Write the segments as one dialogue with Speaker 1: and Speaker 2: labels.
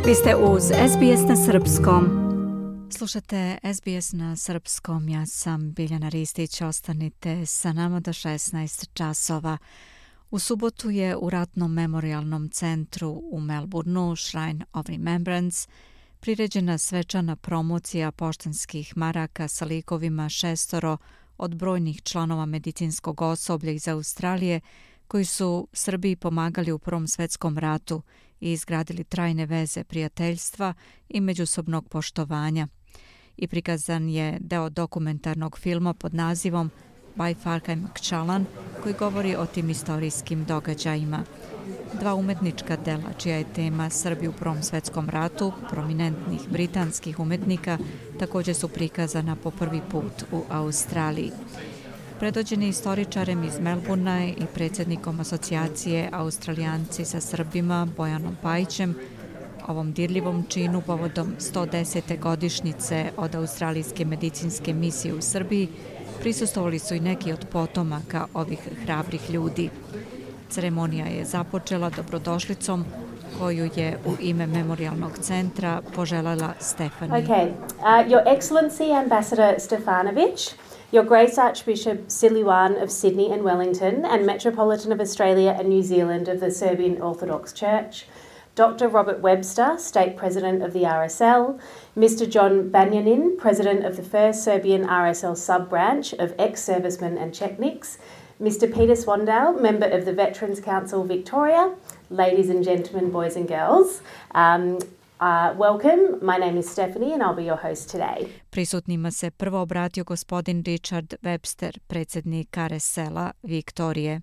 Speaker 1: Vi ste uz SBS na srpskom. Slušate SBS na srpskom, ja sam Biljana Ristić, ostanite sa nama do 16 časova. U subotu je u Ratnom memorijalnom centru u Melbourneu, Shrine of Remembrance, priređena svečana promocija poštanskih maraka sa likovima 6 od brojnih članova medicinskog osoblja iz Australije koji su Srbiji pomagali u Prvom svetskom ratu i izgradili trajne veze prijateljstva i međusobnog poštovanja. I prikazan je deo dokumentarnog filma pod nazivom By Farkai Makchalan, koji govori o tim istorijskim događajima. Dva umetnička dela, čija je tema Srbi u Prvom svetskom ratu, prominentnih britanskih umetnika, također su prikazana po prvi put u Australiji. Predvođeni istoričarem iz Melbournea i predsjednikom asocijacije Australijanci sa Srbima Bojanom Pajićem, ovom dirljivom činu povodom 110. godišnjice od australijske medicinske misije u Srbiji prisustvovali su i neki od potomaka ovih hrabrih ljudi. Ceremonija je započela dobrodošlicom koju je u ime Memorialnog centra poželjela Stefani.
Speaker 2: Okay. Your Excellency Ambassador Stefanovic, Your Grace Archbishop Siluan of Sydney and Wellington and Metropolitan of Australia and New Zealand of the Serbian Orthodox Church, Dr. Robert Webster, State President of the RSL, Mr. John Banyanin, President of the First Serbian RSL Sub-Branch of Ex-Servicemen and Chetniks, Mr. Peter Swandale, Member of the Veterans Council Victoria, ladies and gentlemen, boys and girls, welcome. My name is Stephanie and I'll be your host today.
Speaker 1: Prisutnima se prvo obratio gospodin Richard Webster, predsjednik RSL-a Viktorije.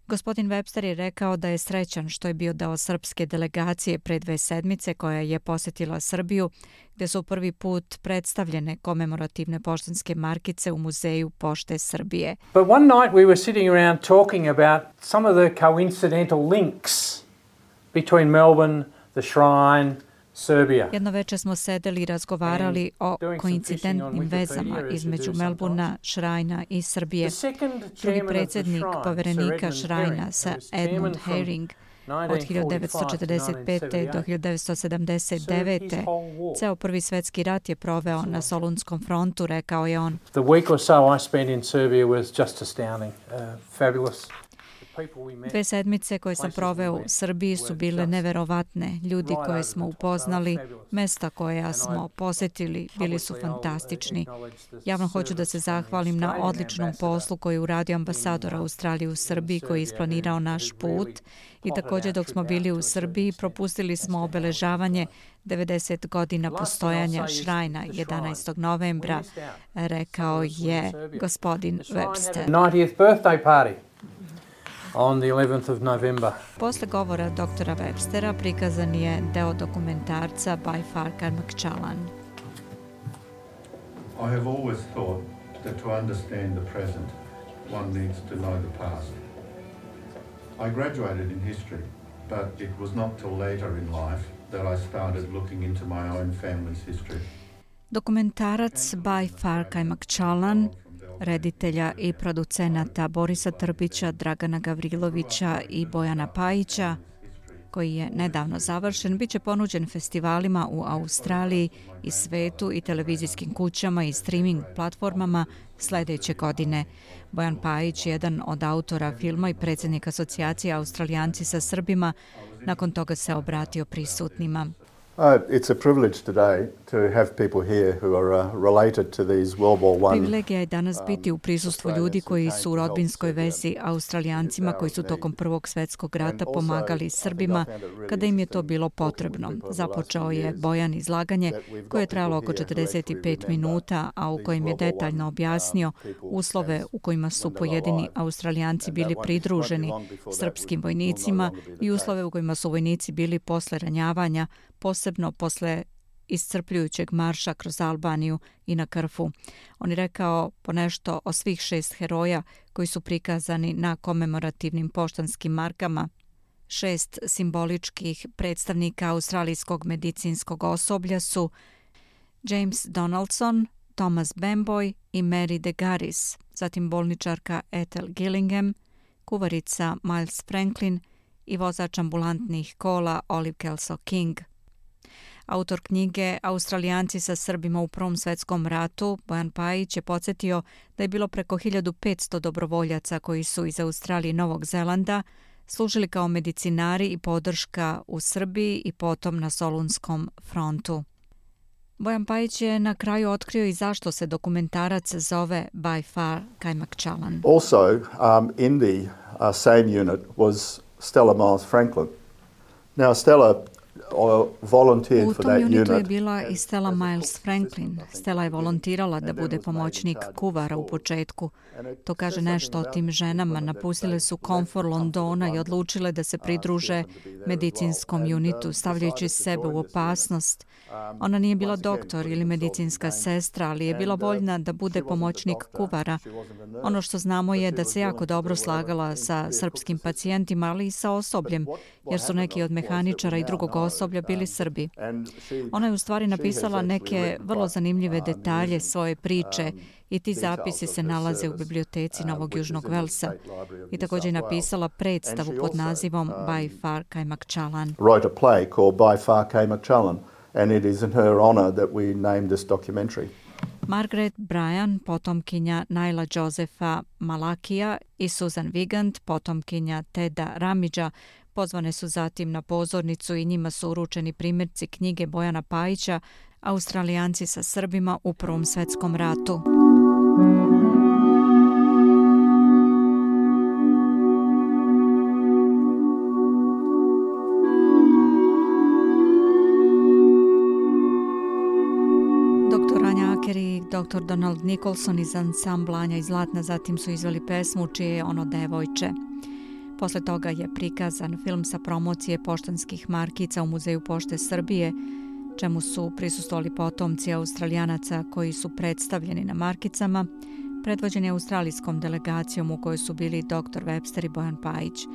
Speaker 1: Gospodin Webster je rekao da je srećan što je bio deo srpske delegacije pre 2 sedmice koja je posjetila Srbiju, gdje su prvi put predstavljene komemorativne poštanske markice u Muzeju pošte Srbije.
Speaker 3: But one night we were sitting around talking about some of the coincidental links between Melbourne, the Shrine, Serbia.
Speaker 1: Jedno večer smo sedeli i razgovarali o koincidentnim vezama između Melbournea, Shrina i Srbije. Drugi predsjednik poverenika Shrina sa Edmund Herring od 1945. do 1979. Ceo Prvi svjetski rat je proveo na Solunskom frontu, rekao je on.
Speaker 3: The week or so I spent in Serbia was just astounding, fabulous.
Speaker 1: 2 sedmice koje sam proveo u Srbiji su bile neverovatne. Ljudi koje smo upoznali, mesta koja smo posjetili, bili su fantastični. Javno hoću da se zahvalim na odličnom poslu koji je uradio ambasador Australije u Srbiji koji je isplanirao naš put i također dok smo bili u Srbiji propustili smo obeležavanje 90 godina postojanja Shrina 11. novembra, rekao je gospodin Webster.
Speaker 3: 90th birthday party. On the 11th of November.
Speaker 1: Posle govora doktora Webstera prikazan je deo dokumentarca By Farkai Makchalan.
Speaker 4: I have always thought that to understand the present, one needs to know the past. I graduated in history, but it was not till later in life that I started looking into my own family's history.
Speaker 1: Dokumentarac By Farkai Makchalan reditelja i producenata Borisa Trbića, Dragana Gavrilovića i Bojana Pajića, koji je nedavno završen, bit će ponuđen festivalima u Australiji i svetu i televizijskim kućama i streaming platformama sljedeće godine. Bojan Pajić, jedan od autora filma i predsjednik asocijacije Australijanci sa Srbima, nakon toga se obratio prisutnima.
Speaker 5: It's a privilege today to have people here who are related to these World War I.
Speaker 1: Privilegija je danas biti u prisustvu ljudi koji su u rodbinskoj vezi Australijancima koji su tokom Prvog svjetskog rata pomagali Srbima kada im je to bilo potrebno. Započeo je Bojan izlaganje koje je trajalo oko 45 minuta, a u kojem je detaljno objasnio uslove u kojima su pojedini Australijanci bili pridruženi srpskim vojnicima i uslove u kojima su vojnici bili posle ranjavanja, posebno posle iscrpljujućeg marša kroz Albaniju i na Krfu. On je rekao ponešto o svih 6 heroja koji su prikazani na komemorativnim poštanskim markama. 6 simboličkih predstavnika australijskog medicinskog osoblja su James Donaldson, Thomas Bamboy i Mary de Garis, zatim bolničarka Ethel Gillingham, kuvarica Miles Franklin i vozač ambulantnih kola Olive Kelso King. Autor knjige Australijanci sa Srbima u Prvom svetskom ratu, Bojan Pajić, je podsjetio da je bilo preko 1500 dobrovoljaca koji su iz Australije i Novog Zelanda služili kao medicinari i podrška u Srbiji i potom na Solunskom frontu. Bojan Pajić je na kraju otkrio i zašto se dokumentarac zove By Far Kajmak Čalan.
Speaker 5: Also, in the same unit was Stella Miles Franklin. Now, Stella volunteered
Speaker 1: U
Speaker 5: for
Speaker 1: tom
Speaker 5: that
Speaker 1: unitu je
Speaker 5: unit.
Speaker 1: bila i Stella Miles Franklin. Stella je volontirala da bude pomoćnik kuvara u početku. To kaže nešto o tim ženama. Napustile su komfor Londona i odlučile da se pridruže medicinskom unitu, stavljajući sebe u opasnost. Ona nije bila doktor ili medicinska sestra, ali je bila voljna da bude pomoćnik kuvara. Ono što znamo je da se jako dobro slagala sa srpskim pacijentima, ali i sa osobljem, jer su neki od mehaničara i drugog osoblja bili Srbi. Ona je u stvari napisala neke vrlo zanimljive detalje svoje priče i ti zapisi se nalaze u biblioteci Novog Južnog Velsa. I također je napisala predstavu pod nazivom By Far Kajmak Čalan.
Speaker 5: Wrote a play called By Far Kajmak Čalan, and it is in her honor that we named this documentary.
Speaker 1: Margaret Bryan, potomkinja Naila Josefa Malakija, i Susan Vigand, potomkinja Teda Ramidža, pozvane su zatim na pozornicu i njima su uručeni primjerci knjige Bojana Pajića Australijanci sa Srbima u Prvom svetskom ratu. Dr. Anja Aker i dr. Donald Nicholson iz ansambla Anja i Zlatna zatim su izveli pesmu čije je ono devojče. Posle toga je prikazan film sa promocije poštanskih markica u Muzeju pošte Srbije, čemu su prisustvovali potomci Australijanaca koji su predstavljeni na markicama, predvođeni australijskom delegacijom u kojoj su bili dr. Webster i Bojan Pajić,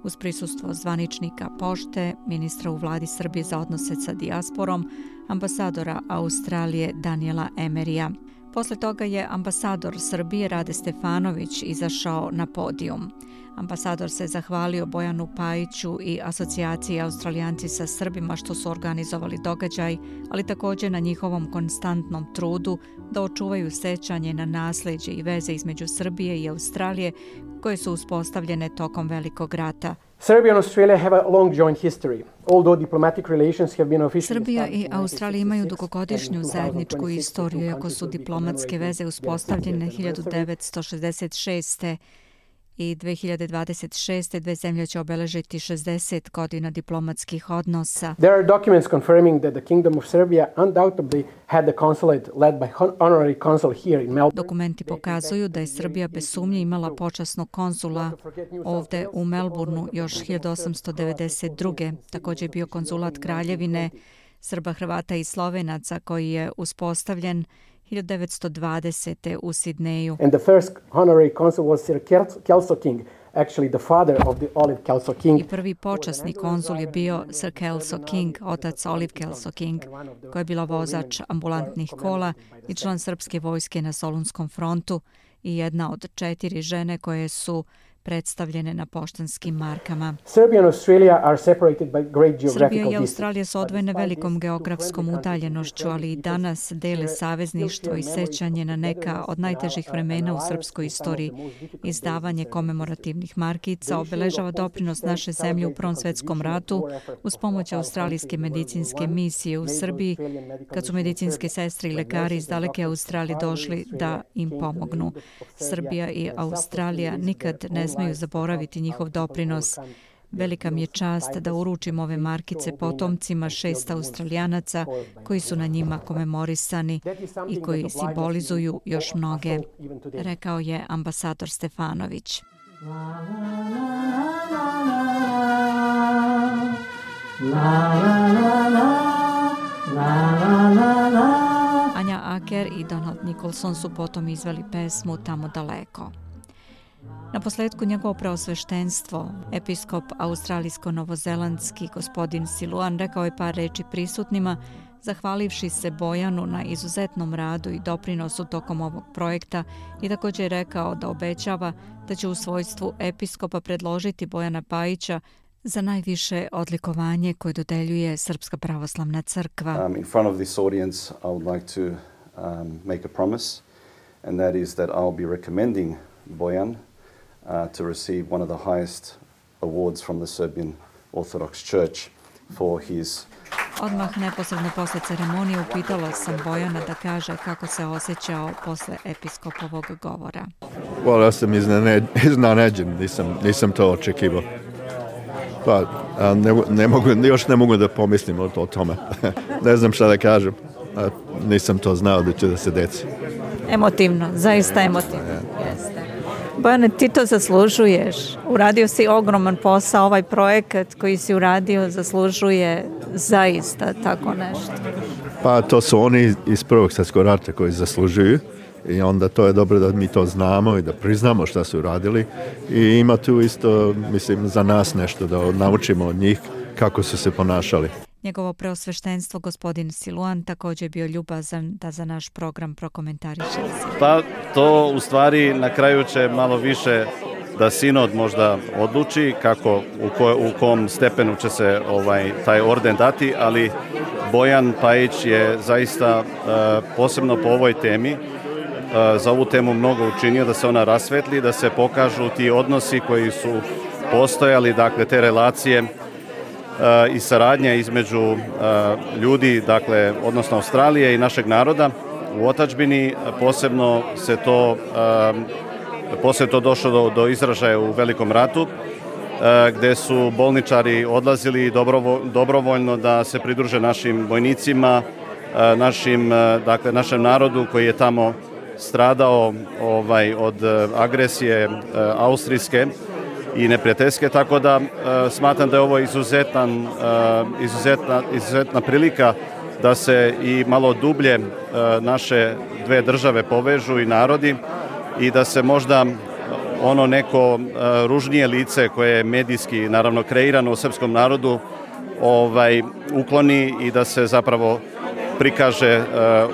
Speaker 1: uz prisustvo zvaničnika pošte, ministra u vladi Srbije za odnose sa dijasporom, ambasadora Australije Daniela Emerija. Posle toga je ambasador Srbije Rade Stefanović izašao na podijum. Ambasador se zahvalio Bojanu Pajiću i asocijaciji Australijanci sa Srbima što su organizovali događaj, ali također na njihovom konstantnom trudu da očuvaju sećanje na nasleđe i veze između Srbije i Australije koje su uspostavljene tokom Velikog rata.
Speaker 6: Serbia and Australia have a long joint history. Although diplomatic relations have been officially
Speaker 1: Srbija i Australija imaju dugogodišnju zajedničku istoriju, iako su diplomatske veze uspostavljene 1966. i 2026. dve zemlje će obeležiti 60 godina diplomatskih odnosa.
Speaker 6: There are documents confirming that the Kingdom of Serbia undoubtedly had the consulate led by honorary consul here in Melbourne.
Speaker 1: Dokumenti pokazuju da je Srbija bez sumnje imala počasnog konzula ovde u Melbourneu još 1892. Također je bio konzulat Kraljevine Srba, Hrvata i Slovenaca koji je uspostavljen 1920. u Sidneju.
Speaker 6: And the first honorary consul was Sir Kelso King, actually the father of the Olive Kelso King.
Speaker 1: I prvi počasni konzul je bio Sir Kelso King, otac Olive Kelso King, koji je bila vozač ambulantnih kola i član srpske vojske na Solunskom frontu i jedna od 4 žene koje su predstavljene na poštanskim markama.
Speaker 6: Serbia and Australia are separated by great geographical
Speaker 1: Srbija i
Speaker 6: distance.
Speaker 1: Australija su odvojene velikom geografskom udaljenošću, ali i danas dele savezništvo i sećanje na neka od najtežih vremena u srpskoj istoriji. Izdavanje komemorativnih markica obeležava doprinos naše zemlje u Prvom svetskom ratu uz pomoć australijske medicinske misije u Srbiji, kad su medicinske sestre i lekari iz daleke Australije došli da im pomognu. Srbija i Australija nikad ne smeju zaboraviti njihov doprinos. Velika mi je čast da uručim ove markice potomcima 6 Australijanaca koji su na njima komemorisani i koji simbolizuju još mnoge, rekao je ambasador Stefanović. Anja Aker i Donald Nicholson su potom izveli pesmu Tamo daleko. Na posledku njegovo preosveštenstvo, episkop australijsko-novozelandski gospodin Siluan rekao je par reči prisutnima, zahvalivši se Bojanu na izuzetnom radu i doprinosu tokom ovog projekta i također je rekao da obećava da će u svojstvu episkopa predložiti Bojana Pajića za najviše odlikovanje koje dodeljuje Srpska pravoslavna crkva.
Speaker 7: In front of this audience, I would like to make a promise, and that is that I'll be recommending Bojan to receive one of the highest awards from the Serbian Orthodox Church for his...
Speaker 1: Odmah neposredno posle ceremonije upitala sam Bojana da kaže kako se osjećao posle episkopovog govora.
Speaker 5: Ja sam iznenađen, nisam to očekivao. Pa, još ne mogu da pomislim o tome. Ne znam šta da kažem. Nisam to znao da će da se desi.
Speaker 1: Emotivno, zaista emotivno. Jeste. Bojane, ti to zaslužuješ. Uradio si ogroman posao, ovaj projekat koji si uradio zaslužuje zaista tako nešto.
Speaker 5: Pa to su oni iz Prvog svjetskog rata koji zaslužuju i onda to je dobro da mi to znamo i da priznamo šta su radili i ima tu isto, mislim, za nas nešto da naučimo od njih kako su se ponašali.
Speaker 1: Njegovo preosveštenstvo, gospodin Siluan, također je bio ljubazan da za naš program prokomentariše.
Speaker 8: Pa to u stvari na kraju će malo više da sinod možda odluči kako, u kom stepenu će se taj orden dati, ali Bojan Pajić je zaista posebno po ovoj temi za ovu temu mnogo učinio da se ona rasvetli, da se pokažu ti odnosi koji su postojali, dakle te relacije i saradnja između ljudi, dakle, odnosno Australije i našeg naroda u otadžbini. Posebno to došlo do izražaja u Velikom ratu, gdje su bolničari odlazili dobrovoljno da se pridruže našim vojnicima, našem narodu koji je tamo stradao od agresije austrijske i neprijateljske, tako da smatram da je ovo izuzetna prilika da se i malo dublje naše dve države povežu i narodi i da se možda ono neko ružnije lice koje je medijski naravno kreirano u srpskom narodu ukloni i da se zapravo prikaže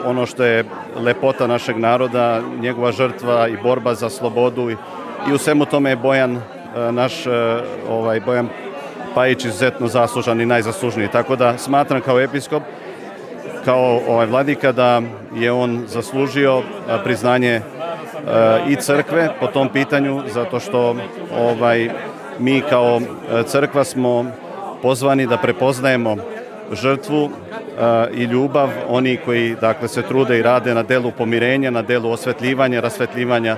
Speaker 8: ono što je lepota našeg naroda, njegova žrtva i borba za slobodu i u svemu tome je Bojan Pajić izuzetno zaslužan i najzaslužniji. Tako da smatram kao episkop, kao vladika da je on zaslužio priznanje i crkve po tom pitanju, zato što mi kao crkva smo pozvani da prepoznajemo žrtvu i ljubav oni koji se trude i rade na delu pomirenja, na delu osvetljivanja, rasvetljivanja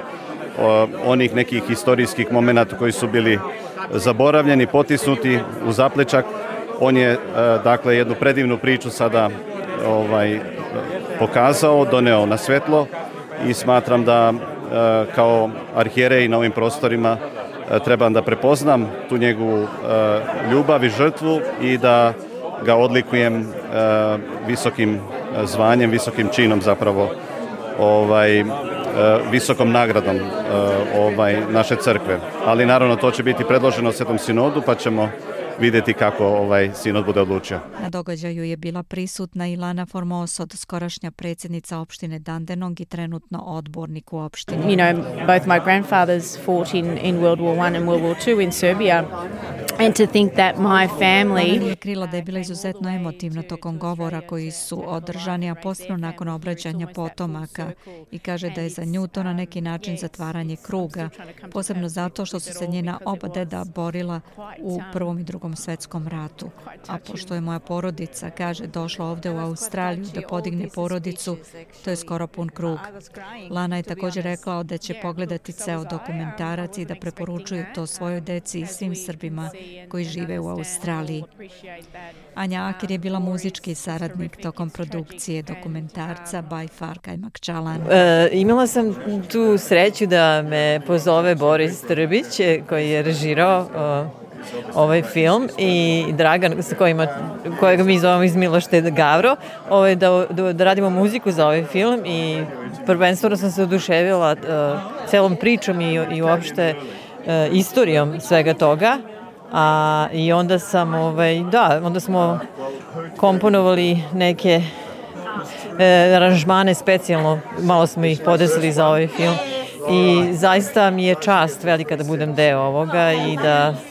Speaker 8: onih nekih historijskih momenata koji su bili zaboravljeni, potisnuti u zaplečak. On je jednu predivnu priču sada pokazao, doneo na svetlo i smatram da kao arhijerej na ovim prostorima trebam da prepoznam tu njegovu ljubav i žrtvu i da ga odlikujem visokim zvanjem, visokim činom zapravo, visokom nagradom naše crkve. Ali naravno to će biti predloženo Svetom sinodu pa ćemo vidjeti kako sinod bude odlučio.
Speaker 1: Na događaju je bila prisutna i Lana Formosod, skorašnja predsjednica opštine Dandenong i trenutno odbornik u opštini.
Speaker 9: You know, both my grandfathers fought in World War I and World War II in Serbia. And to think that my family...
Speaker 1: Lana je krila da je bila izuzetno emotivna tokom govora koji su održani, a posebno nakon obraćanja potomaka, i kaže da je za nju to na neki način zatvaranje kruga, posebno zato što su se njena oba deda borila u Prvom i Drugom svetskom ratu. A pošto je moja porodica, kaže, došla ovde u Australiju da podigne porodicu, to je skoro pun krug. Lana je također rekla da će pogledati ceo dokumentarac i da preporučuje to svojoj deci i svim Srbima koji žive u Australiji. Anja Akir je bila muzički saradnik tokom produkcije dokumentarca By Far Kajmak Čalan.
Speaker 10: Imala sam tu sreću da me pozove Boris Trbić koji je režirao ovaj film i Dragan kojega mi zovemo iz Milošte Gavro, da radimo muziku za ovaj film i prvenstveno sam se oduševila celom pričom i uopšte istorijom svega toga. I onda sam, onda smo komponovali neke aranžmane specijalno, malo smo ih podesili za ovaj film I zaista mi je čast velika da budem deo ovoga i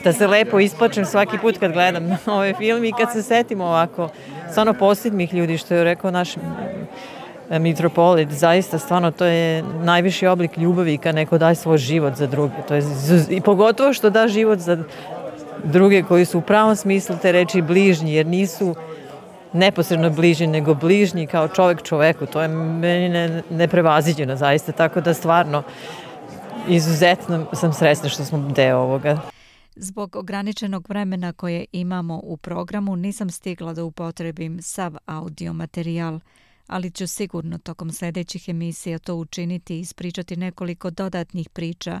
Speaker 10: da se lepo isplačem svaki put kad gledam ovaj film i kad se setim ovako stvarno posljednjih ljudi, što je rekao naš mitropolit, zaista stvarno to je najviši oblik ljubavi kad neko daje svoj život za druge. To je, i pogotovo što da život za druge koji su u pravom smislu te reči bližnji, jer nisu neposredno bližnji, nego bližnji kao čovjek čoveku. To je meni neprevaziđeno zaista, tako da stvarno izuzetno sam srećna što smo deo ovoga.
Speaker 1: Zbog ograničenog vremena koje imamo u programu nisam stigla da upotrebim sav audio materijal, ali ću sigurno tokom sljedećih emisija to učiniti i ispričati nekoliko dodatnih priča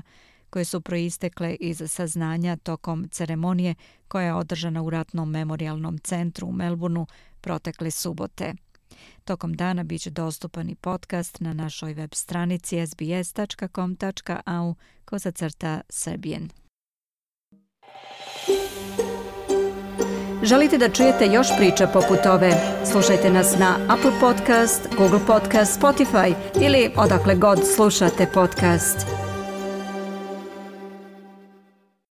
Speaker 1: koje su proistekle iz saznanja tokom ceremonije koja je održana u Ratnom memorijalnom centru u Melbourneu protekle subote. Tokom dana bit će dostupan i podcast na našoj web stranici sbs.com.au/Serbian. Želite da čujete još priča poput ove? Slušajte nas na Apple Podcast, Google Podcast, Spotify ili odakle god slušate podcast.